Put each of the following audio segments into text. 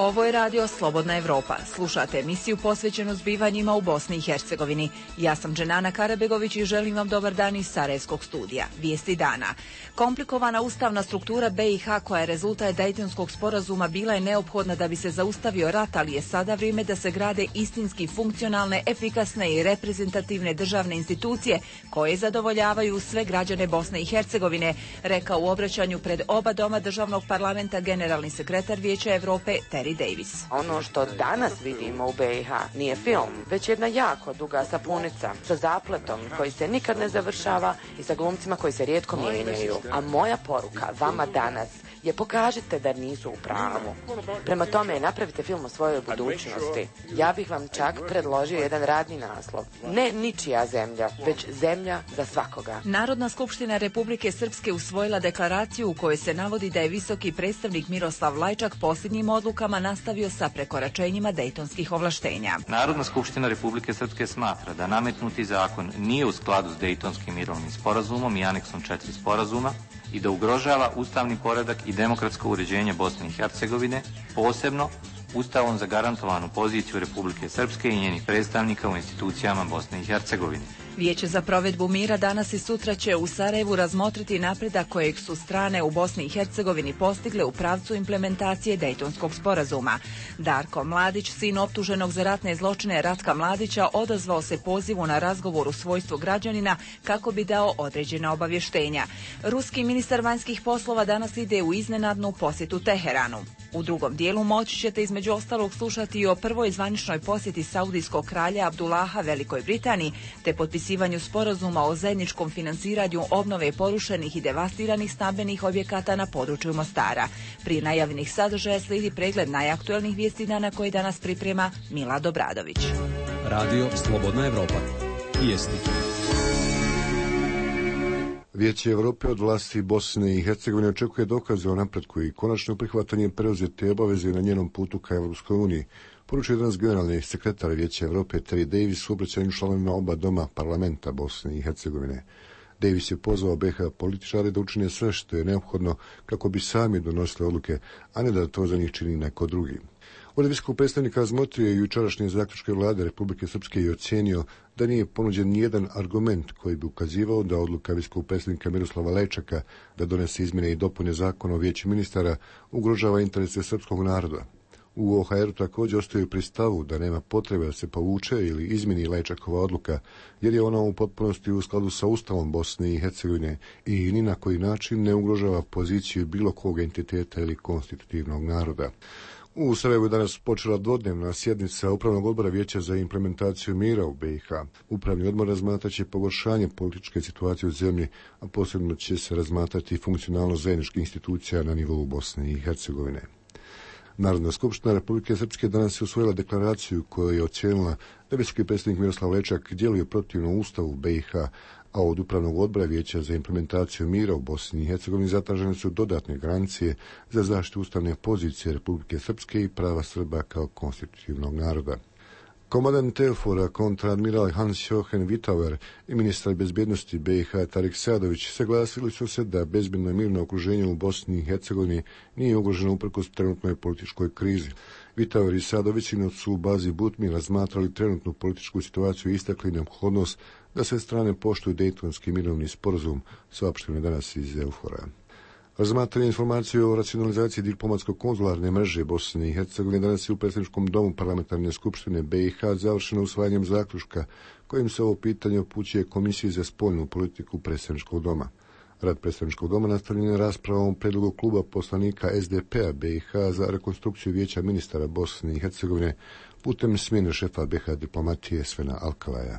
Ovo je radio Slobodna Evropa. Slušate emisiju posvećenu zbivanjima u Bosni i Hercegovini. Ja sam Dženana Karabegović i želim vam dobar dan iz Sarajevskog studija. Vijesti dana. Komplikovana ustavna struktura BiH koja je rezultat Dejtonskog sporazuma bila je neophodna da bi se zaustavio rat, ali je sada vrijeme da se grade istinski funkcionalne, efikasne i reprezentativne državne institucije koje zadovoljavaju sve građane Bosne i Hercegovine, rekao u obraćanju pred oba doma državnog parlamenta generalni sekretar Vijeća Evrope Terry Davis. Ono što danas vidimo u BiH nije film, već jedna jako duga sapunica sa zapletom koji se nikad ne završava i sa glumcima koji se rijetko mijenjaju. A moja poruka vama danas je pokažite da nisu u pravu. Prema tome, napravite film o svojoj budućnosti. Ja bih vam čak predložio jedan radni naslov. Ne ničija zemlja, već zemlja za svakoga. Narodna skupština Republike Srpske usvojila deklaraciju u kojoj se navodi da je visoki predstavnik Miroslav Lajčak posljednjim odlukama nastavio sa prekoračenjima dejtonskih ovlaštenja. Narodna skupština Republike Srpske smatra da nametnuti zakon nije u skladu s Dejtonskim mirovnim sporazumom i aneksom 4 sporazuma i da ugrožava ustavni poredak i demokratsko uređenje Bosne i Hercegovine, posebno Ustavom zagarantovanu poziciju Republike Srpske i njenih predstavnika u institucijama Bosne i Hercegovine. Vijeće za provedbu mira danas i sutra će u Sarajevu razmotriti napredak kojeg su strane u Bosni i Hercegovini postigle u pravcu implementacije Dejtonskog sporazuma. Darko Mladić, sin optuženog za ratne zločine Ratka Mladića, odazvao se pozivu na razgovor u svojstvu građanina kako bi dao određena obavještenja. Ruski ministar vanjskih poslova danas ide u iznenadnu posjetu Teheranu. U drugom dijelu moći ćete između ostalog slušati i o prvoj zvaničnoj posjeti saudijskog kralja Abdullaha Velikoj Britaniji, te potpisivanju sporazuma o zajedničkom financiranju obnove porušenih i devastiranih stambenih objekata na području Mostara. Prije najavljenih sadržaja slijedi pregled najaktuelnijih vijesti dana koji danas priprema Milad Obradović. Radio Slobodna Evropa. Vijesti. Vijeće Evrope od vlasti Bosne i Hercegovine očekuje dokaze o napretku i konačno prihvatanje preuzete obaveze na njenom putu ka Evropskoj uniji. Poručuje danas generalni sekretar Vijeća Evrope Terry Davis u obraćanju članovima oba doma parlamenta Bosne i Hercegovine. Davis je pozvao BiH političare da učine sve što je neophodno kako bi sami donosili odluke, a ne da to za njih čini neko drugi. Od visokog predstavnika razmotrio je jučerašnje zaključke vlade Republike Srpske i ocijenio da nije ponuđen nijedan argument koji bi ukazivao da odluka visokog predstavnika Miroslava Lajčaka da donese izmjene i dopune zakona o vijeću ministara ugrožava interese srpskog naroda. U OHR-u također ostaju pri stavu da nema potrebe da se povuče ili izmjeni Lajčakova odluka, jer je ona u potpunosti u skladu sa Ustavom Bosne i Hercegovine i ni na koji način ne ugrožava poziciju bilo kog entiteta ili konstitutivnog naroda. U Sarajevu je danas počela dvodnevna sjednica Upravnog odbora Vijeća za implementaciju mira u BiH. Upravni odbor razmatraće pogoršanje političke situacije u zemlji, a posebno će se razmatrati funkcionalnost zajedničkih institucija na nivou Bosne i Hercegovine. Narodna skupština Republike Srpske danas je usvojila deklaraciju koju je ocijenila da visoki predstavnik Miroslav Lajčak djeluje protivno Ustavu BiH, a od Upravnog odbora Vijeća za implementaciju mira u Bosni i Hercegovini zatražene su dodatne garancije za zaštitu ustavne pozicije Republike Srpske i prava Srba kao konstitutivnog naroda. Komandant Teofora, kontradmiral Hans-Jochen Vitauer i ministar bezbjednosti BiH Tarik Sadović saglasili su se da bezbjedno i mirno okruženje u Bosni i Hercegovini nije ugroženo uprkos trenutnoj političkoj krizi. Vitauer i Sadović su u bazi Butmi razmatrali trenutnu političku situaciju i istakli neophodnost da sve strane poštuju Dejtonski mirovni sporazum, saopšteno danas iz Eufora. Razmatranje informacije o racionalizaciji diplomatsko-konzularne mreže Bosne i Hercegovine danas je u predsjedničkom domu parlamentarne skupštine BiH završeno usvajanjem zaključka kojim se ovo pitanje upućuje Komisiji za spoljnu politiku predsjedničkog doma. Rad predsjedničkog doma nastavljen je raspravom o predlogu kluba poslanika SDP-a BiH za rekonstrukciju Vijeća ministara Bosne i Hercegovine putem smjene šefa BiH diplomatije Svena Alkalaja.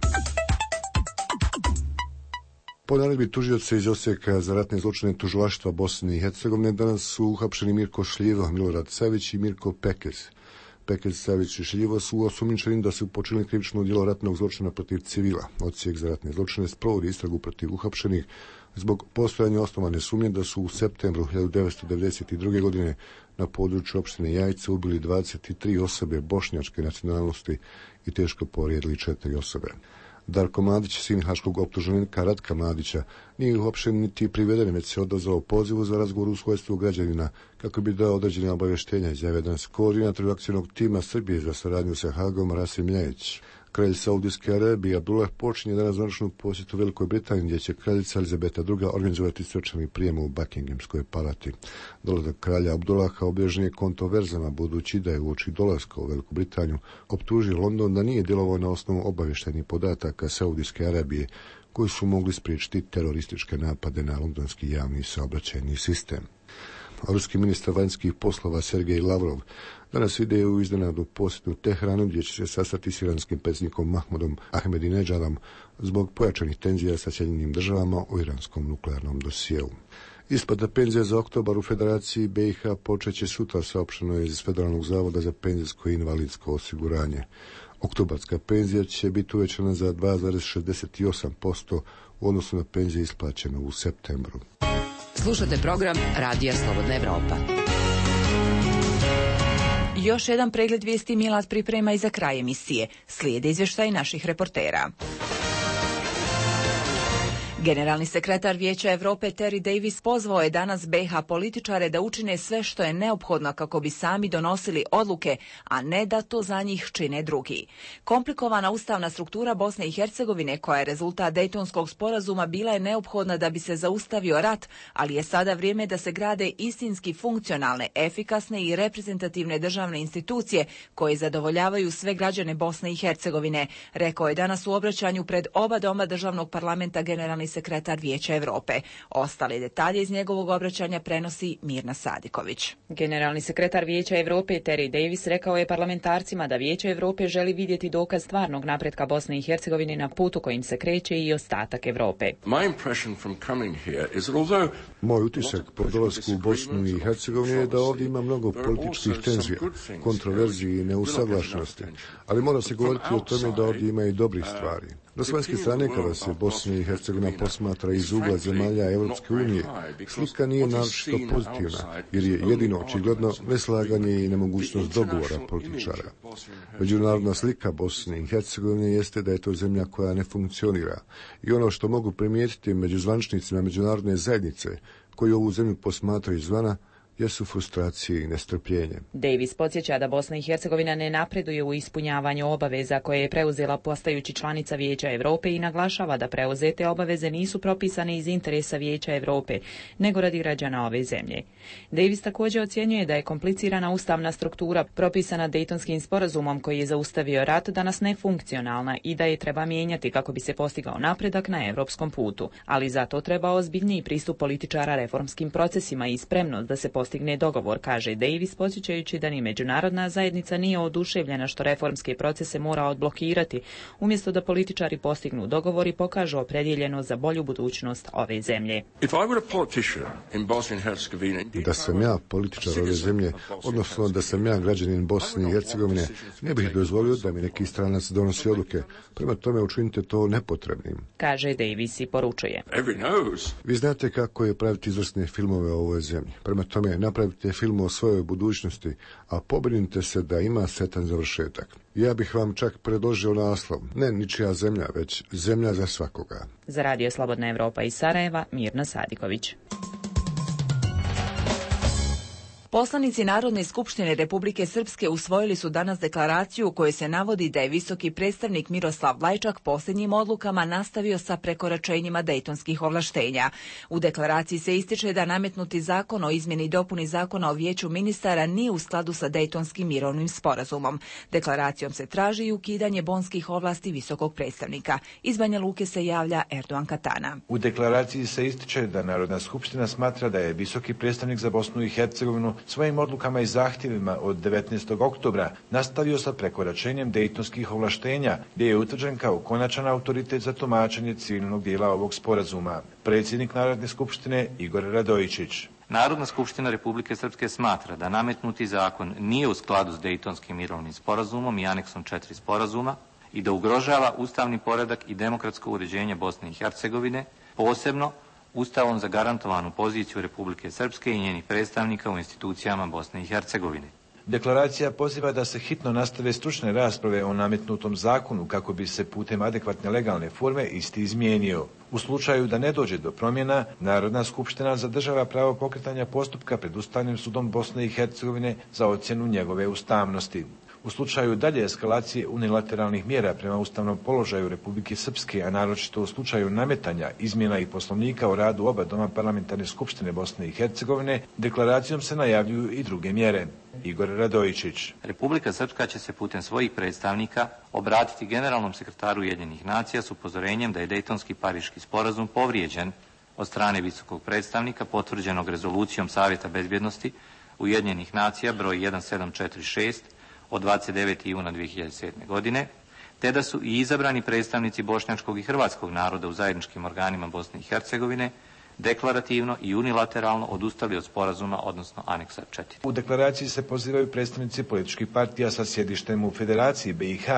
Po naredbi tužioca iz Osijeka za ratne zločine tužilaštva Bosne i Hercegovine danas su uhapšeni Mirko Šljivo, Milorad Savić i Mirko Pekez. Pekez, Savić i Šljivo su osumnjičeni da su počinili krivično djelo ratnog zločina protiv civila. Odsjek za ratne zločine sprovodi istragu protiv uhapšenih zbog postojanja osnovane sumnje da su u septembru 1992. godine na području opštine Jajce ubili 23 osobe bošnjačke nacionalnosti i teško povrijedili 4 osobe. Darko Mladić, sin haškog optuženika Ratka Mladića, nije uhapšen niti priveden, već se odazvao pozivu za razgovor u svojstvu građanina kako bi dao određene obavještenja, izjavio danas koordinator akcijnog tima Srbije za saradnju sa Hagom Rasim Ljajić. Kralj Saudijske Arabije Abdullah počinje danas zvaničnu posjetu Velikoj Britaniji, gdje će kraljica Elizabeta II organizovati svečani prijem u Buckinghamskoj palati. Dolazak kralja Abdullaha obilježen je kontroverzama, budući da je uoči dolaska u Veliku Britaniju optužio London da nije djelovao na osnovu obavještajnih podataka Saudijske Arabije, koji su mogli spriječiti terorističke napade na londonski javni saobraćajni sistem. Ruski ministar vanjskih poslova Sergej Lavrov danas ide u iznenadnu posjetu Teheranu, gdje će se sastati s iranskim predsjednikom Mahmudom Ahmadinejadom zbog pojačanih tenzija sa Sjedinjenim Državama o iranskom nuklearnom dosjeu. Isplata penzija za oktobar u Federaciji BiH počeće sutra, saopšteno je iz Federalnog zavoda za penzijsko i invalidsko osiguranje. Oktobarska penzija će biti uvećana za 2,68% u odnosu na penzije isplaćene u septembru. Slušate program Radija Slobodna Evropa. Još jedan pregled vijesti Milad priprema i za kraj emisije. Slijede izvještaj naših reportera. Generalni sekretar Vijeća Europe Terry Davis pozvao je danas BiH političare da učine sve što je neophodno kako bi sami donosili odluke, a ne da to za njih čine drugi. Komplikovana ustavna struktura Bosne i Hercegovine, koja je rezultat Dejtonskog sporazuma, bila je neophodna da bi se zaustavio rat, ali je sada vrijeme da se grade istinski funkcionalne, efikasne i reprezentativne državne institucije koje zadovoljavaju sve građane Bosne i Hercegovine, rekao je danas u obraćanju pred oba doma državnog parlamenta generalni sekretar Vijeća Europe. Ostale detalje iz njegovog obraćanja prenosi Mirna Sadiković. Generalni sekretar Vijeća Europe Terry Davis rekao je parlamentarcima da Vijeće Europe želi vidjeti dokaz stvarnog napretka Bosne i Hercegovine na putu kojim se kreće i ostatak Europe. Moj utisak po dolasku u Bosnu i Hercegovinu je da ovdje ima mnogo političkih tenzija, kontroverziji i neusaglašenosti, ali mora se govoriti o tome da ovdje ima i dobrih stvari. Na vanjske strane, kada se Bosna i Hercegovina posmatra iz ugla zemalja Europske unije, slika nije naročito pozitivna, jer je jedino očigledno neslaganje i nemogućnost dogovora političara. Međunarodna slika Bosne i Hercegovine jeste da je to zemlja koja ne funkcionira, i ono što mogu primijetiti među zvaničnicima međunarodne zajednice koji ovu zemlju posmatraju izvana jesu frustracije i nestrpljenje. Davis podsjeća da Bosna i Hercegovina ne napreduje u ispunjavanju obaveza koje je preuzela postajući članica Vijeća Europe i naglašava da preuzete obaveze nisu propisane iz interesa Vijeća Europe, nego radi građana ove zemlje. Davis također ocjenjuje da je komplicirana ustavna struktura propisana Dejtonskim sporazumom koji je zaustavio rat danas nefunkcionalna i da je treba mijenjati kako bi se postigao napredak na europskom putu, ali zato treba ozbiljniji pristup političara reformskim procesima i spremnost da se postigne dogovor, kaže Davis, podsjećajući da ni međunarodna zajednica nije oduševljena što reformske procese mora odblokirati, umjesto da političari postignu dogovor i pokažu opredjeljenost za bolju budućnost ove zemlje. Da sam ja političar ove zemlje, odnosno da sam ja građanin Bosne i Hercegovine, ne bih dozvolio da mi neki stranac donosi odluke. Prema tome učinite to nepotrebnim, kaže Davis i poručuje. Vi znate kako je praviti izvrsne filmove o ovoj zemlji. Prema tome napravite film o svojoj budućnosti, a pobrinite se da ima sretan završetak. Ja bih vam čak predložio naslov, ne ničija zemlja, već zemlja za svakoga. Za Radio Slobodna Evropa iz Sarajeva, Mirna Sadiković. Poslanici Narodne skupštine Republike Srpske usvojili su danas deklaraciju u kojoj se navodi da je visoki predstavnik Miroslav Lajčak posljednjim odlukama nastavio sa prekoračenjima dejtonskih ovlaštenja. U deklaraciji se ističe da nametnuti zakon o izmjeni i dopuni zakona o vijeću ministara nije u skladu sa Dejtonskim mirovnim sporazumom. Deklaracijom se traži i ukidanje bonskih ovlasti visokog predstavnika. Iz Banja Luke se javlja Erdogan Katana. U deklaraciji se ističe da Narodna skupština smatra da je visoki predstavnik za Bosnu i Hercegovinu svojim odlukama i zahtjevima od 19. oktobra nastavio sa prekoračenjem dejtonskih ovlaštenja, gdje je utvrđen kao konačan autoritet za tumačenje civilnog dijela ovog sporazuma. Predsjednik Narodne skupštine Igor Radojičić. Narodna skupština Republike Srpske smatra da nametnuti zakon nije u skladu s Dejtonskim mirovnim sporazumom i aneksom 4 sporazuma i da ugrožava ustavni poredak i demokratsko uređenje Bosne i Hercegovine, posebno Ustavom zagarantovanu poziciju Republike Srpske i njenih predstavnika u institucijama Bosne i Hercegovine. Deklaracija poziva da se hitno nastave stručne rasprave o nametnutom zakonu kako bi se putem adekvatne legalne forme isti izmijenio. U slučaju da ne dođe do promjena, Narodna skupština zadržava pravo pokretanja postupka pred Ustavnim sudom Bosne i Hercegovine za ocjenu njegove ustavnosti. U slučaju dalje eskalacije unilateralnih mjera prema ustavnom položaju Republike Srpske, a naročito u slučaju nametanja izmjena i poslovnika o radu oba doma parlamentarne skupštine Bosne i Hercegovine, deklaracijom se najavljuju i druge mjere. Igor Radojičić. Republika Srpska će se putem svojih predstavnika obratiti generalnom sekretaru Ujedinjenih nacija s upozorenjem da je Dejtonski Pariški sporazum povrijeđen od strane visokog predstavnika potvrđenog rezolucijom Savjeta bezbjednosti Ujedinjenih nacija broj 1746 od 29. juna 2007. godine, te da su i izabrani predstavnici bošnjačkog i hrvatskog naroda u zajedničkim organima Bosne i Hercegovine deklarativno i unilateralno odustali od sporazuma, odnosno aneksa 4. U deklaraciji se pozivaju predstavnici političkih partija sa sjedištem u Federaciji BiH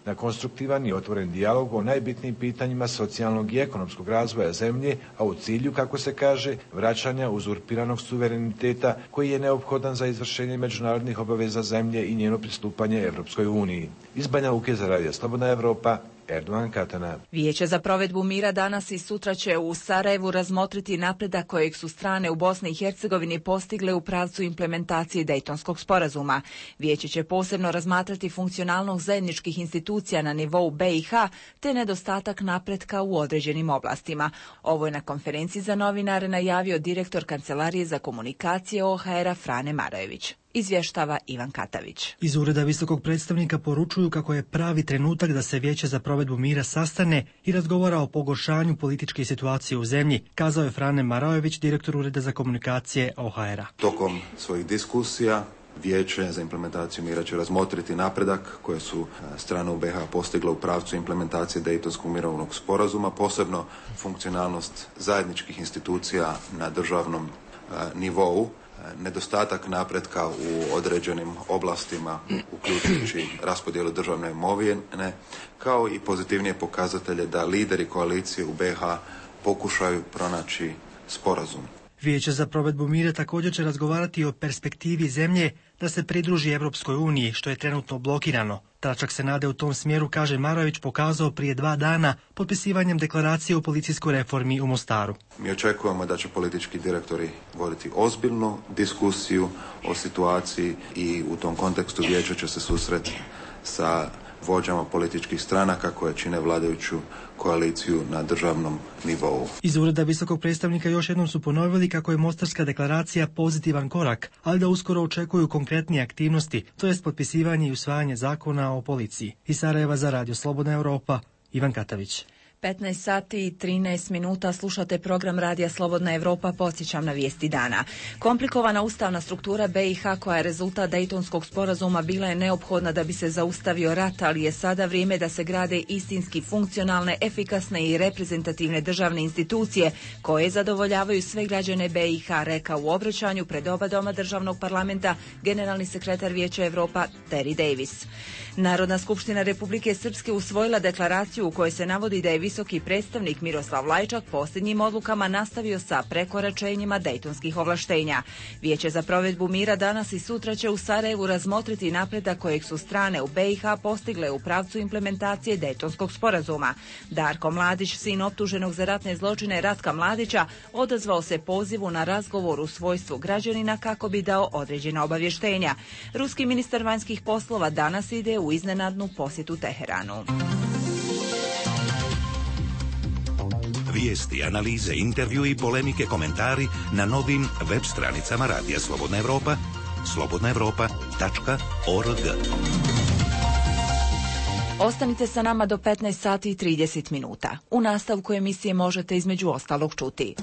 na konstruktivan i otvoren dijalog o najbitnijim pitanjima socijalnog i ekonomskog razvoja zemlje, a u cilju, kako se kaže, vraćanja uzurpiranog suvereniteta koji je neophodan za izvršenje međunarodnih obaveza zemlje i njeno pristupanje Evropskoj uniji. Iz Banja Luke za Radio Slobodna Evropa, Erdogan Katana. Vijeće za provedbu mira danas i sutra će u Sarajevu razmotriti napredak kojeg su strane u Bosni i Hercegovini postigle u pravcu implementacije Dejtonskog sporazuma. Vijeće će posebno razmatrati funkcionalnost zajedničkih institucija na nivou BiH te nedostatak napretka u određenim oblastima. Ovo je na konferenciji za novinare najavio direktor Kancelarije za komunikacije OHR-a Frane Marajević. Izvještava Ivan Katavić. Iz ureda visokog predstavnika poručuju kako je pravi trenutak da se Vijeće za provedbu mira sastane i razgovara o pogoršanju političke situacije u zemlji, kazao je Frane Marajević, direktor ureda za komunikacije OHR-a. Tokom svojih diskusija Vijeće za implementaciju mira će razmotriti napredak koje su strane u BiH postigle u pravcu implementacije Dejtonskog mirovnog sporazuma, posebno funkcionalnost zajedničkih institucija na državnom nivou, nedostatak napretka u određenim oblastima, uključujući raspodjelu državne imovine, kao i pozitivnije pokazatelje da lideri koalicije u BiH pokušaju pronaći sporazum. Vijeće za provedbu mira također će razgovarati o perspektivi zemlje da se pridruži Evropskoj uniji, što je trenutno blokirano. Tračak se nade u tom smjeru, kaže Marajević, pokazao prije 2 dana potpisivanjem deklaracije o policijskoj reformi u Mostaru. Mi očekujemo da će politički direktori voditi ozbiljnu diskusiju o situaciji i u tom kontekstu Vijeće će se susreti sa vođama političkih stranaka koje čine vladajuću koaliciju na državnom nivou. Iz ureda visokog predstavnika još jednom su ponovili kako je Mostarska deklaracija pozitivan korak, ali da uskoro očekuju konkretnije aktivnosti, to jest potpisivanje i usvajanje zakona o policiji. Iz Sarajeva za Radio Slobodna Europa, Ivan Katavić. 15 sati i 13 minuta slušate program Radija Slobodna Evropa, podsjećam na vijesti dana. Komplikovana ustavna struktura BiH koja je rezultat Dejtonskog sporazuma bila je neophodna da bi se zaustavio rat, ali je sada vrijeme da se grade istinski funkcionalne, efikasne i reprezentativne državne institucije koje zadovoljavaju sve građane BiH, rekao u obraćanju pred oba doma državnog parlamenta generalni sekretar Vijeća Evropa Terry Davis. Narodna skupština Republike Srpske usvojila deklaraciju u kojoj se navodi da je visoki predstavnik Miroslav Lajčak posljednjim odlukama nastavio sa prekoračenjima dejtonskih ovlaštenja. Vijeće za provedbu mira danas i sutra će u Sarajevu razmotriti napredak kojeg su strane u BiH postigle u pravcu implementacije Dejtonskog sporazuma. Darko Mladić, sin optuženog za ratne zločine Ratka Mladića, odazvao se pozivu na razgovor u svojstvu građanina kako bi dao određena obavještenja. Ruski ministar vanjskih poslova danas ide u iznenadnu posjetu Teheranu. Vijesti, analize, intervju i polemike, komentari na novim web stranicama Radija Slobodna Evropa, slobodnaevropa.org. Ostanite sa nama do 15 sati i 30 minuta. U nastavku emisije možete između ostalog čuti: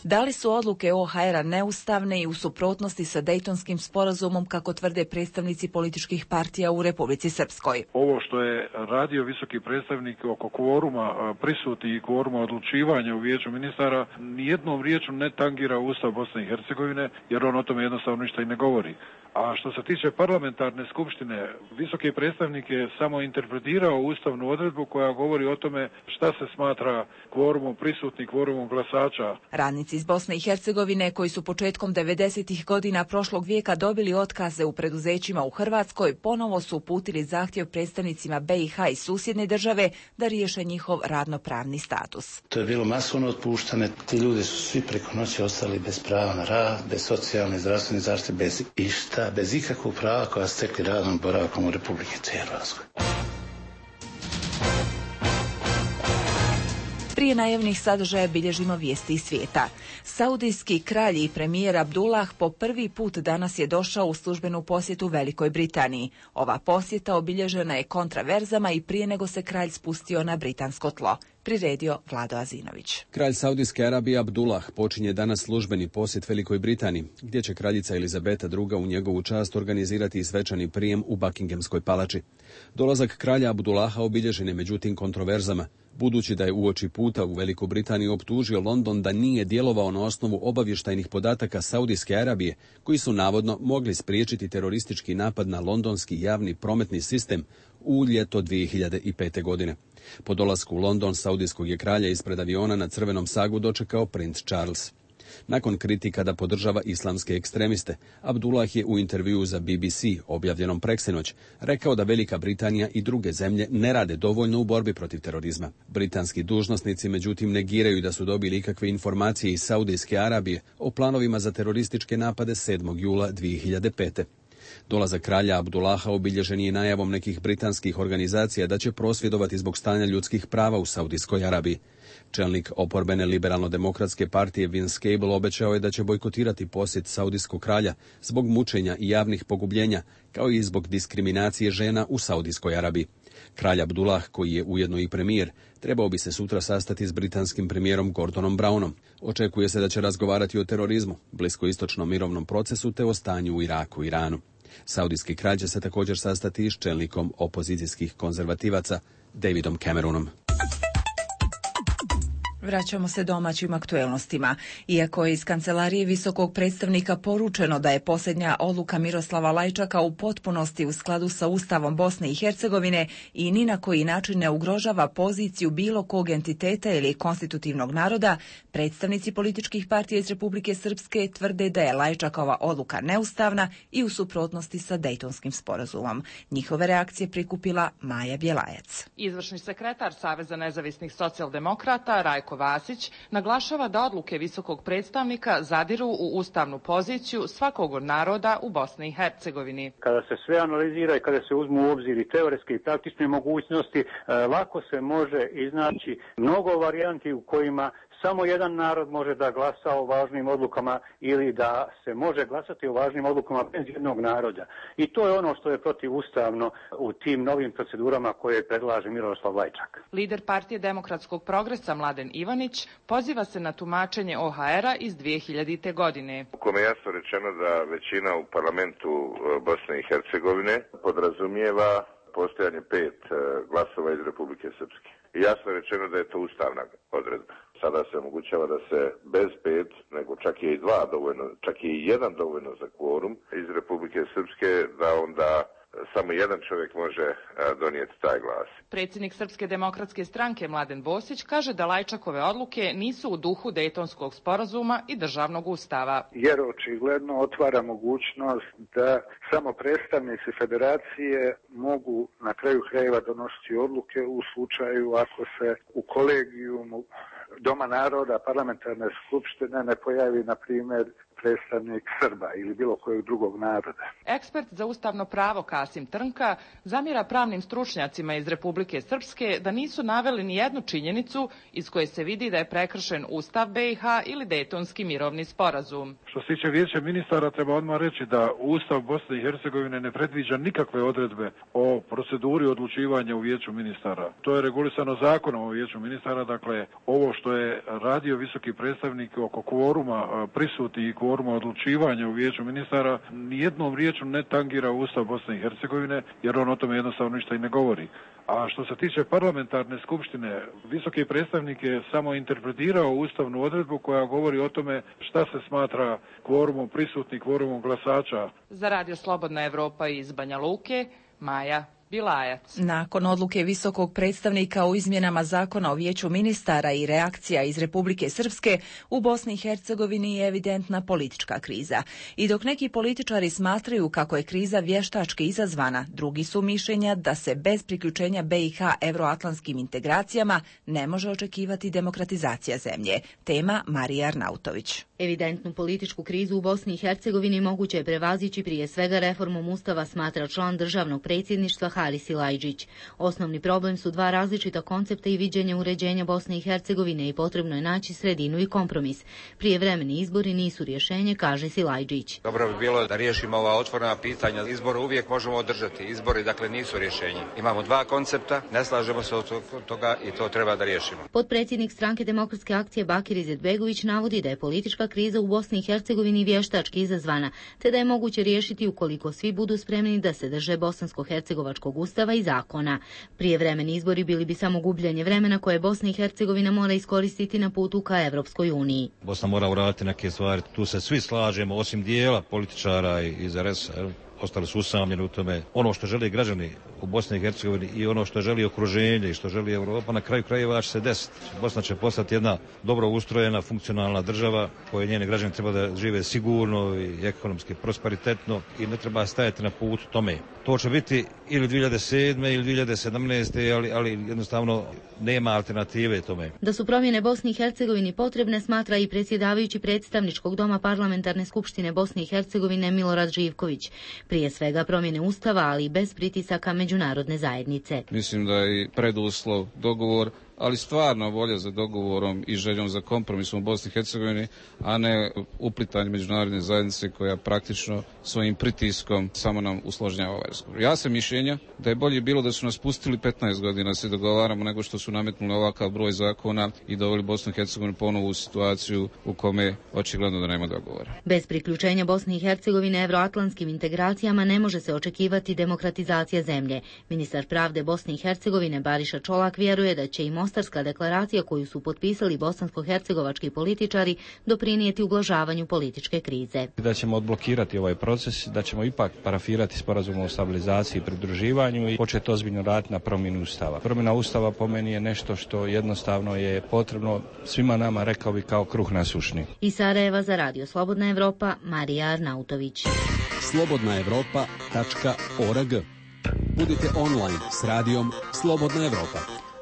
da li su odluke OHR-a neustavne i u suprotnosti sa Dejtonskim sporazumom, kako tvrde predstavnici političkih partija u Republici Srpskoj? Ovo što je radio visoki predstavnik oko kvoruma prisutni i kvoruma odlučivanja u Vijeću ministara, nijednom riječu ne tangira Ustav Bosne i Hercegovine, jer on o tome jednostavno ništa i ne govori. A što se tiče parlamentarne skupštine, visoki predstavnik je samo interpretirao ustavnu odredbu koja govori o tome šta se smatra kvorumom prisutnih, kvorumom glasača. Radnici iz Bosne i Hercegovine koji su početkom 90. godina prošlog vijeka dobili otkaze u preduzećima u Hrvatskoj ponovo su uputili zahtjev predstavnicima BiH i susjedne države da riješe njihov radnopravni status. To je bilo masovno otpuštane. Ti ljudi su svi preko noći ostali bez prava na rad, bez socijalne i zdravstvene zaštite, bez išta, bez ikakvog prava koja stekli radom boravkom u Republike Hrvatskoj. Prije najavnih sadržaja bilježimo vijesti iz svijeta. Saudijski kralj i premijer Abdullah po prvi put danas je došao u službenu posjetu Velikoj Britaniji. Ova posjeta obilježena je kontraverzama i prije nego se kralj spustio na britansko tlo. Priredio Vlado Azinović. Kralj Saudijske Arabije Abdullah počinje danas službeni posjet Velikoj Britaniji, gdje će kraljica Elizabeta II u njegovu čast organizirati svečani prijem u Buckinghamskoj palači. Dolazak kralja Abdullaha obilježen je međutim kontroverzama, budući da je uoči puta u Veliku Britaniju optužio London da nije djelovao na osnovu obavještajnih podataka Saudijske Arabije, koji su navodno mogli spriječiti teroristički napad na londonski javni prometni sistem u ljeto 2005. godine. Po dolasku u London saudijskog je kralja ispred aviona na crvenom sagu dočekao princ Charles. Nakon kritika da podržava islamske ekstremiste, Abdullah je u intervjuu za BBC, objavljenom preksinoć, rekao da Velika Britanija i druge zemlje ne rade dovoljno u borbi protiv terorizma. Britanski dužnosnici međutim negiraju da su dobili ikakve informacije iz Saudijske Arabije o planovima za terorističke napade 7. jula 2005. Dolazak kralja Abdullaha obilježen je najavom nekih britanskih organizacija da će prosvjedovati zbog stanja ljudskih prava u Saudijskoj Arabiji. Čelnik oporbene liberalno-demokratske partije Vince Cable obećao je da će bojkotirati posjet saudijskog kralja zbog mučenja i javnih pogubljenja, kao i zbog diskriminacije žena u Saudijskoj Arabiji. Kralj Abdullah, koji je ujedno i premijer, trebao bi se sutra sastati s britanskim premijerom Gordonom Brownom. Očekuje se da će razgovarati o terorizmu, bliskoistočnom mirovnom procesu te o stanju u Iraku i Iranu. Saudijski kralj će se također sastati s čelnikom opozicijskih konzervativaca Davidom Cameronom. Vraćamo se domaćim aktuelnostima. Iako je iz kancelarije visokog predstavnika poručeno da je posljednja odluka Miroslava Lajčaka u potpunosti u skladu sa Ustavom Bosne i Hercegovine i ni na koji način ne ugrožava poziciju bilo kog entiteta ili konstitutivnog naroda, predstavnici političkih partija iz Republike Srpske tvrde da je Lajčakova odluka neustavna i u suprotnosti sa Dejtonskim sporazumom. Njihove reakcije prikupila Maja Bjelajac. Izvršni sekretar Saveza nezavisnih socijaldemokrata Rajko Vasić naglašava da odluke visokog predstavnika zadiru u ustavnu poziciju svakog od naroda u Bosni i Hercegovini. Kada se sve analizira i kada se uzmu u obzir i teoretske i praktične mogućnosti, lako se može iznaći mnogo varijanti u kojima samo jedan narod može da glasa o važnim odlukama ili da se može glasati o važnim odlukama bez jednog naroda. I to je ono što je protivustavno u tim novim procedurama koje predlaže Miroslav Lajčak. Lider partije Demokratskog progresa Mladen Ivanić poziva se na tumačenje OHR-a iz 2000. godine. U kome je jasno rečeno da većina u parlamentu Bosne i Hercegovine podrazumijeva postojanje 5 glasova iz Republike Srpske. I jasno je rečeno da je to ustavna odredba. Sada se omogućava da se bez 5, nego čak je i 2 dovoljno, čak je i 1 dovoljno za kvorum iz Republike Srpske, da onda samo jedan čovjek može donijeti taj glas. Predsjednik Srpske demokratske stranke Mladen Bosić kaže da Lajčakove odluke nisu u duhu Dejtonskog sporazuma i državnog ustava. Jer očigledno otvara mogućnost da samo predstavnici federacije mogu na kraju krajeva donositi odluke u slučaju ako se u kolegijumu Doma naroda parlamentarne skupštine ne pojavi, na primjer, predstavnik Srba ili bilo kojeg drugog naroda. Ekspert za ustavno pravo Kasim Trnka zamjera pravnim stručnjacima iz Republike Srpske da nisu naveli ni jednu činjenicu iz koje se vidi da je prekršen Ustav BiH ili Dejtonski mirovni sporazum. Što se tiče vijeća ministara, treba odmah reći da Ustav Bosne i Hercegovine ne predviđa nikakve odredbe o proceduri odlučivanja u vijeću ministara. To je regulisano zakonom o vijeću ministara, dakle ovo što je radio visoki predstavnik oko kvoruma prisutni i kvoruma odlučivanja u vijeću ministara nijednom riječu ne tangira Ustav Bosne i Hercegovine, jer on o tome jednostavno ništa i ne govori. A što se tiče parlamentarne skupštine, visoki predstavnik je samo interpretirao ustavnu odredbu koja govori o tome šta se smatra kvorumom prisutnih, kvorumom glasača. Za Radio Slobodna Evropa iz Banja Luke, Maja Bilajac. Nakon odluke visokog predstavnika o izmjenama zakona o vijeću ministara i reakcija iz Republike Srpske, u Bosni i Hercegovini je evidentna politička kriza. I dok neki političari smatraju kako je kriza vještački izazvana, drugi su mišljenja da se bez priključenja BiH evroatlantskim integracijama ne može očekivati demokratizacija zemlje. Tema Marija Arnautović. Evidentnu političku krizu u Bosni i Hercegovini moguće je prevazići prije svega reformom Ustava, smatra član državnog predsjedništva Haris Silajdžić. Osnovni problem su dva različita koncepta i viđenja uređenja Bosne i Hercegovine i potrebno je naći sredinu i kompromis. Prijevremeni izbori nisu rješenje, kaže Silajdžić. Dobro bi bilo da riješimo ova otvorena pitanja. Izbore uvijek možemo održati. Izbori dakle nisu rješenje. Imamo dva koncepta, ne slažemo se od toga i to treba da riješimo. Potpredsjednik stranke Demokratske akcije Bakir Izetbegović navodi da je politička kriza u Bosni i Hercegovini vještački izazvana, te da je moguće riješiti ukoliko svi budu spremni da se drže bosansko-hercegovačkog ustava i zakona. Prijevremeni izbori bili bi samo gubljenje vremena koje Bosna i Hercegovina mora iskoristiti na putu ka Evropskoj uniji. Bosna mora uraditi neke stvari, tu se svi slažemo, osim dijela političara iz RS-a. Ostali su usamljeni u tome. Ono što žele građani u Bosni i Hercegovini i ono što želi okruženje i što želi Europa, na kraju krajeva će se desiti. Bosna će postati jedna dobro ustrojena, funkcionalna država koje njeni građani treba da žive sigurno i ekonomski prosperitetno i ne treba stajati na put tome. To će biti ili 2007. ili 2017. ali jednostavno nema alternative tome. Da su promjene Bosni i Hercegovini potrebne, smatra i predsjedavajući predstavničkog doma Parlamentarne skupštine Bosne i Hercegovine Milorad Živković. Prije svega promjene Ustava, ali i bez pritisaka međunarodne zajednice. Mislim da je preduslov dogovor, ali stvarno volja za dogovorom i željom za kompromisom u Bosni i Hercegovini, a ne uplitanje međunarodne zajednice koja praktično svojim pritiskom samo nam usložnjava ovaj razgovor. Ja sam mišljenja da je bolje bilo da su nas pustili 15 godina da se dogovaramo nego što su nametnuli ovakav broj zakona i doveli Bosnu i Hercegovinu ponovo u situaciju u kome očigledno da nema dogovora. Bez priključenja Bosne i Hercegovine evroatlantskim integracijama ne može se očekivati demokratizacija zemlje. Ministar pravde Bosne i Hercegovine Bariša Čolak vjeruje da će i Mostarska deklaracija koju su potpisali bosansko-hercegovački političari doprinijeti ublažavanju političke krize. Da ćemo odblokirati ovaj proces, da ćemo ipak parafirati sporazum o stabilizaciji i pridruživanju i početi ozbiljno raditi na promjenu Ustava. Promjena Ustava po meni je nešto što jednostavno je potrebno svima nama, rekao bi, kao kruh na sušni. Iz Sarajeva za Radio Slobodna Evropa, Marija Arnautović. slobodnaevropa.org. Budite online s radijom Slobodna Evropa.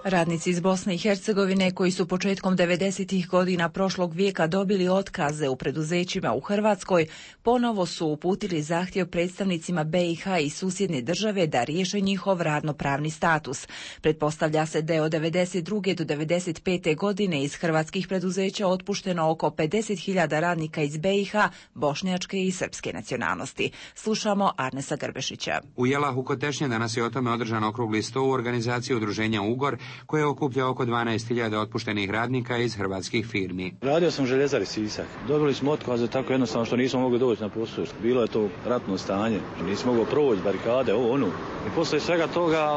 Radnici iz Bosne i Hercegovine koji su početkom 90. godina prošlog vijeka dobili otkaze u preduzećima u Hrvatskoj, ponovo su uputili zahtjev predstavnicima BiH i susjedne države da riješe njihov radnopravni status. Pretpostavlja se da je od 92. do 95. godine iz hrvatskih preduzeća otpušteno oko 50.000 radnika iz BiH, bošnjačke i srpske nacionalnosti. Slušamo Arnesa Grbešića. U Jelahu kod Tešnje danas je o tome održan okrugli sto u organizaciji udruženja Ugor, koje okuplja oko 12.000 otpuštenih radnika iz hrvatskih firmi. Radio sam Željezari Sisak. Dobili smo otkaze tako jednostavno što nismo mogli doći na posao. Bilo je to ratno stanje. Nismo mogli proći barikade, ono. I poslije svega toga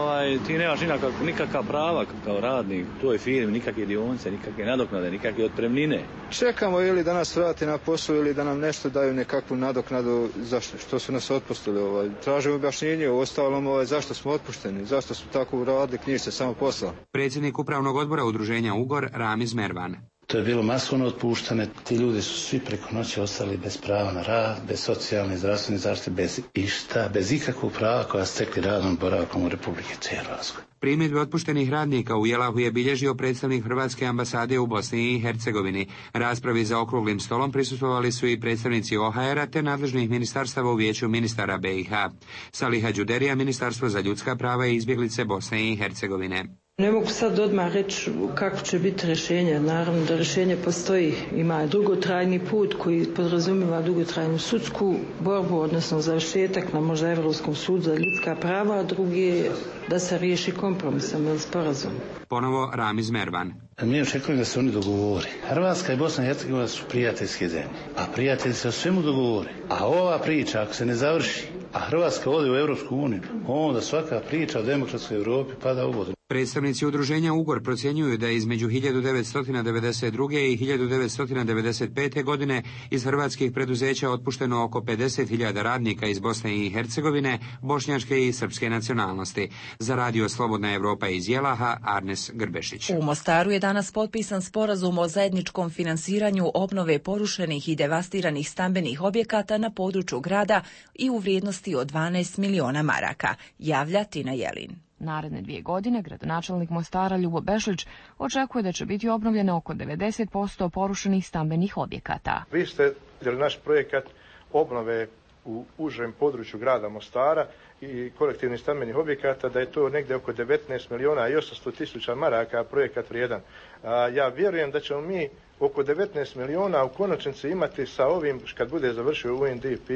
ti nemaš nikakva prava kao radnik u toj firmi, nikakve dionice, nikakve nadoknade, nikakve otpremnine. Čekamo ili da nas vrati na posao ili da nam nešto daju nekakvu nadoknadu zašto što su nas otpustili. Tražimo objašnjenje u ostalom zašto smo otpušteni, zašto smo tako uradili, knjiži se samo posao. Predsjednik upravnog odbora udruženja Ugor, Ramiz Mervan. To je bilo masovno otpuštane. Ti ljudi su svi preko noći ostali bez prava na rad, bez socijalne i zdravstvene zaštite, bez išta, bez ikakvog prava koja stekli radom boravkom u Republike Hrvatskoj. Primjedbe otpuštenih radnika u Jelahu je bilježio predstavnik Hrvatske ambasade u Bosni i Hercegovini. Raspravi za okruglim stolom prisustvovali su i predstavnici OHR-a te nadležnih ministarstava u vijeću ministara BiH. Saliha Đuderija, Ministarstvo za ljudska prava i izbjeglice Bosne i Hercegovine. Ne mogu sad odmah reći kako će biti rješenje. Naravno da rješenje postoji. Ima dugotrajni put koji podrazumijeva dugotrajnu sudsku borbu, odnosno završetak na možda Europskom sudu za ljudska prava, a drugi je da se riješi kompromisom ili sporazum. Ponovo Ramiz Mervan. Mi očekujemo da se oni dogovore. Hrvatska i Bosna i Hercegovina su prijateljske zemlje, a prijatelji se o svemu dogovore. A ova priča, ako se ne završi, a Hrvatska ode u Europsku uniju, onda svaka priča o demokratskoj Europi pada u vodu. Predstavnici udruženja Ugor procjenjuju da je između 1992. i 1995. godine iz hrvatskih preduzeća otpušteno oko 50.000 radnika iz Bosne i Hercegovine, bošnjačke i srpske nacionalnosti. Za Radio Slobodna Evropa iz Jelaha, Arnes Grbešić. U Mostaru je danas potpisan sporazum o zajedničkom finansiranju obnove porušenih i devastiranih stambenih objekata na području grada i u vrijednosti od 12 miliona maraka, javlja Tina Jelin. Naredne 2 godine gradonačelnik Mostara Ljubo Bešlić očekuje da će biti obnovljeno oko 90% porušenih stambenih objekata. Vi ste vidjeli naš projekat obnove u užem području grada Mostara i kolektivnih stambenih objekata, da je to negdje oko 19 miliona i 800 tisuća maraka projekat vrijedan. Ja vjerujem da ćemo mi oko 19 miliona u konačnici imati sa ovim kad bude završio UNDP,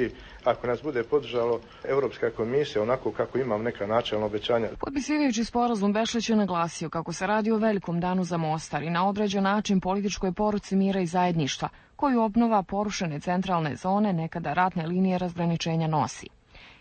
ako nas bude podržalo Europska komisija, onako kako imam neka načelna obećanja. Potpisivajući sporazum, Bešlić je naglasio kako se radi o velikom danu za Mostar i na određen način političkoj poruci mira i zajedništva, koju obnova porušene centralne zone nekada ratne linije razgraničenja nosi.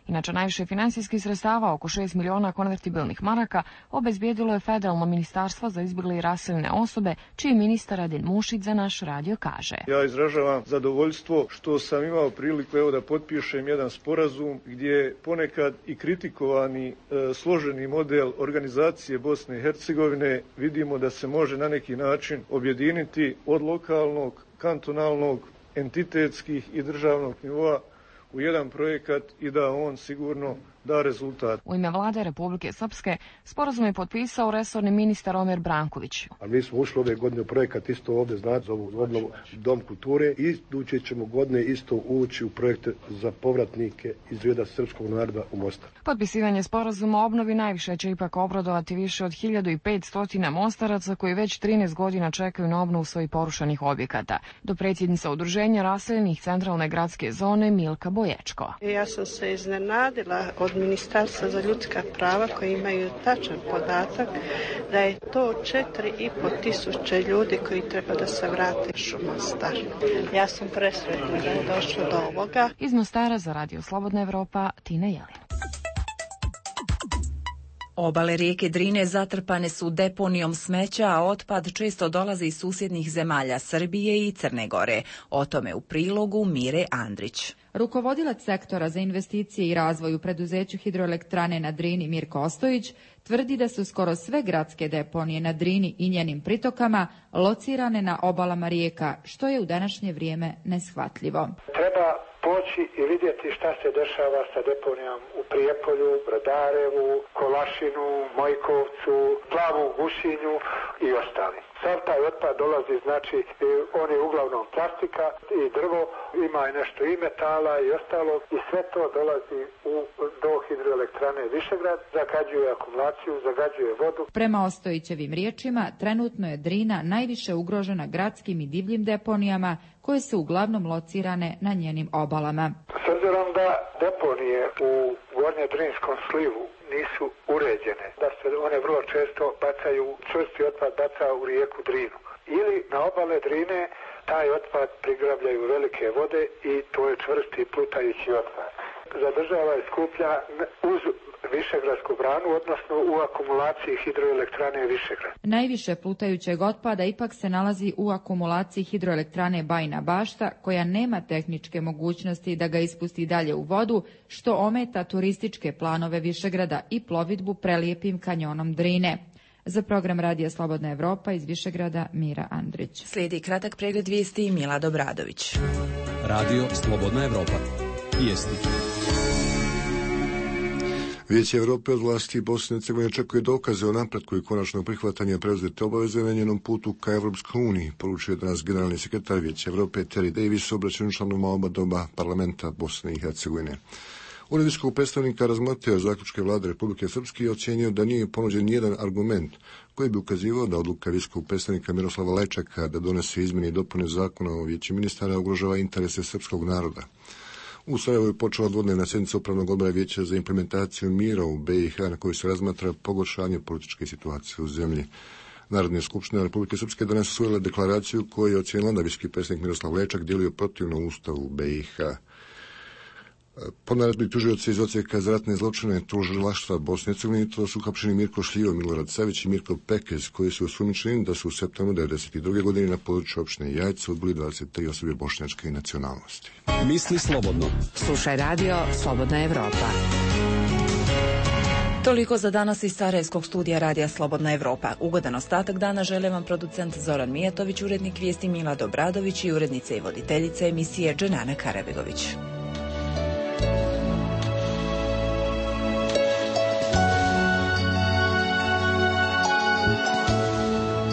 Inače, najviše finansijskih sredstava, oko 6 miliona konvertibilnih maraka, obezbijedilo je Federalno ministarstvo za izbjegle i raseljene osobe, čiji ministar Adin Mušić za naš radio kaže. Ja izražavam zadovoljstvo što sam imao priliku da potpišem jedan sporazum gdje ponekad i kritikovani složeni model organizacije Bosne i Hercegovine vidimo da se može na neki način objediniti od lokalnog, kantonalnog, entitetskih i državnog nivoa u jedan projekat i da on sigurno da rezultat. U ime vlade Republike Srpske sporazum je potpisao resorni ministar Omer Branković. A mi smo ušli ove godine u projekat isto ovdje, znači za ovu obnovu Dom kulture i iduće ćemo godine isto ući u projekte za povratnike iz reda srpskog naroda u Mostar. Potpisivanje sporazuma o obnovi najviše će ipak obradovati više od 1500 Mostaraca koji već 13 godina čekaju na obnovu svojih porušenih objekata. Dopredsjednica udruženja raseljenih centralne gradske zone Milka Boječko. Ja sam se iznenadila od Ministarstva za ljudska prava koji imaju tačan podatak da je to 4.500 ljudi koji treba da se vrate u Mostar. Ja sam presretna da je došlo do ovoga. Iz Mostara za Radio Slobodna Evropa, Tina Jelin. Obale rijeke Drine zatrpane su deponijom smeća, a otpad često dolazi iz susjednih zemalja Srbije i Crne Gore. O tome u prilogu Mire Andrić. Rukovodilac sektora za investicije i razvoj u preduzeću hidroelektrane na Drini Mirko Ostojić tvrdi da su skoro sve gradske deponije na Drini i njenim pritokama locirane na obalama rijeka, što je u današnje vrijeme neshvatljivo. Treba poći i vidjeti šta se dešava sa deponijom u Prijepolju, Brodarevu, Kolašinu, Mojkovcu, Plavu Gušinju i ostali. Sav taj otpad dolazi, znači on je uglavnom plastika i drvo, ima i nešto i metala i ostalo i sve to dolazi do hidroelektrane Višegrad, zagađuje akumulaciju, zagađuje vodu. Prema Ostojićevim riječima, trenutno je Drina najviše ugrožena gradskim i divljim deponijama koje su uglavnom locirane na njenim obalama. S obzirom da deponije u Gornje-Drinskom slivu nisu uređene, da se one vrlo često bacaju, čvrsti otpad baca u rijeku Drinu. Ili na obale Drine taj otpad prigravljaju velike vode i to je čvrsti plutajući otpad. Zadržava i skuplja uz Višegradsku branu, odnosno u akumulaciji hidroelektrane Višegrad. Najviše plutajućeg otpada ipak se nalazi u akumulaciji hidroelektrane Bajina Bašta, koja nema tehničke mogućnosti da ga ispusti dalje u vodu, što ometa turističke planove Višegrada i plovidbu prelijepim kanjonom Drine. Za program Radija Slobodna Evropa iz Višegrada, Mira Andrić. Slijedi kratak pregled vijesti i Milad Obradović. Radio Slobodna Evropa. Vijesti. Vijeće Europe od vlasti Bosne i Hercegovine očekuje dokaze o napretku i konačnog prihvatanja preuzete obaveze na njenom putu ka Evropskoj uniji, poručuje danas generalni sekretar Vijeća Europe Terry Davis obraćanju članovima oba doma parlamenta Bosne i Hercegovine. Ured visokog predstavnika razmotrio zaključke vlade Republike Srpske i ocjenio da nije ponuđen nijedan argument koji bi ukazivao da odluka visokog predstavnika Miroslava Lečaka da donese izmjene i dopune zakona o Vijeću ministara ugrožava interese srpskog naroda. U Sarajevu je počela dvodnevna sjednica Upravnog odbora Vijeća za implementaciju mira u BiH na kojoj se razmatra pogoršanje političke situacije u zemlji. Narodna skupština Republike Srpske danas usvojila deklaraciju koju je ocijenila da visoki predstavnik Miroslav Lečak djeluje protivno Ustavu BiH. Po naredbi tužioca iz Odsjeka za ratne zločine tužilaštva Bosne i Hercegovine to su uhapšeni Mirko Šljivo, Milorad Savić i Mirko Pekez, koji su osumnjičeni da su u septembru 1992. godine na području opštine Jajce ubili 23 osobe bošnjačke nacionalnosti. Misli slobodno. Slušaj radio Slobodna Evropa. Toliko za danas iz Sarajevskog studija Radija Slobodna Evropa. Ugodan ostatak dana žele vam producent Zoran Mijatović, urednik vijesti Milad Obradović i urednica i voditeljica emisije Dženana Karabegović.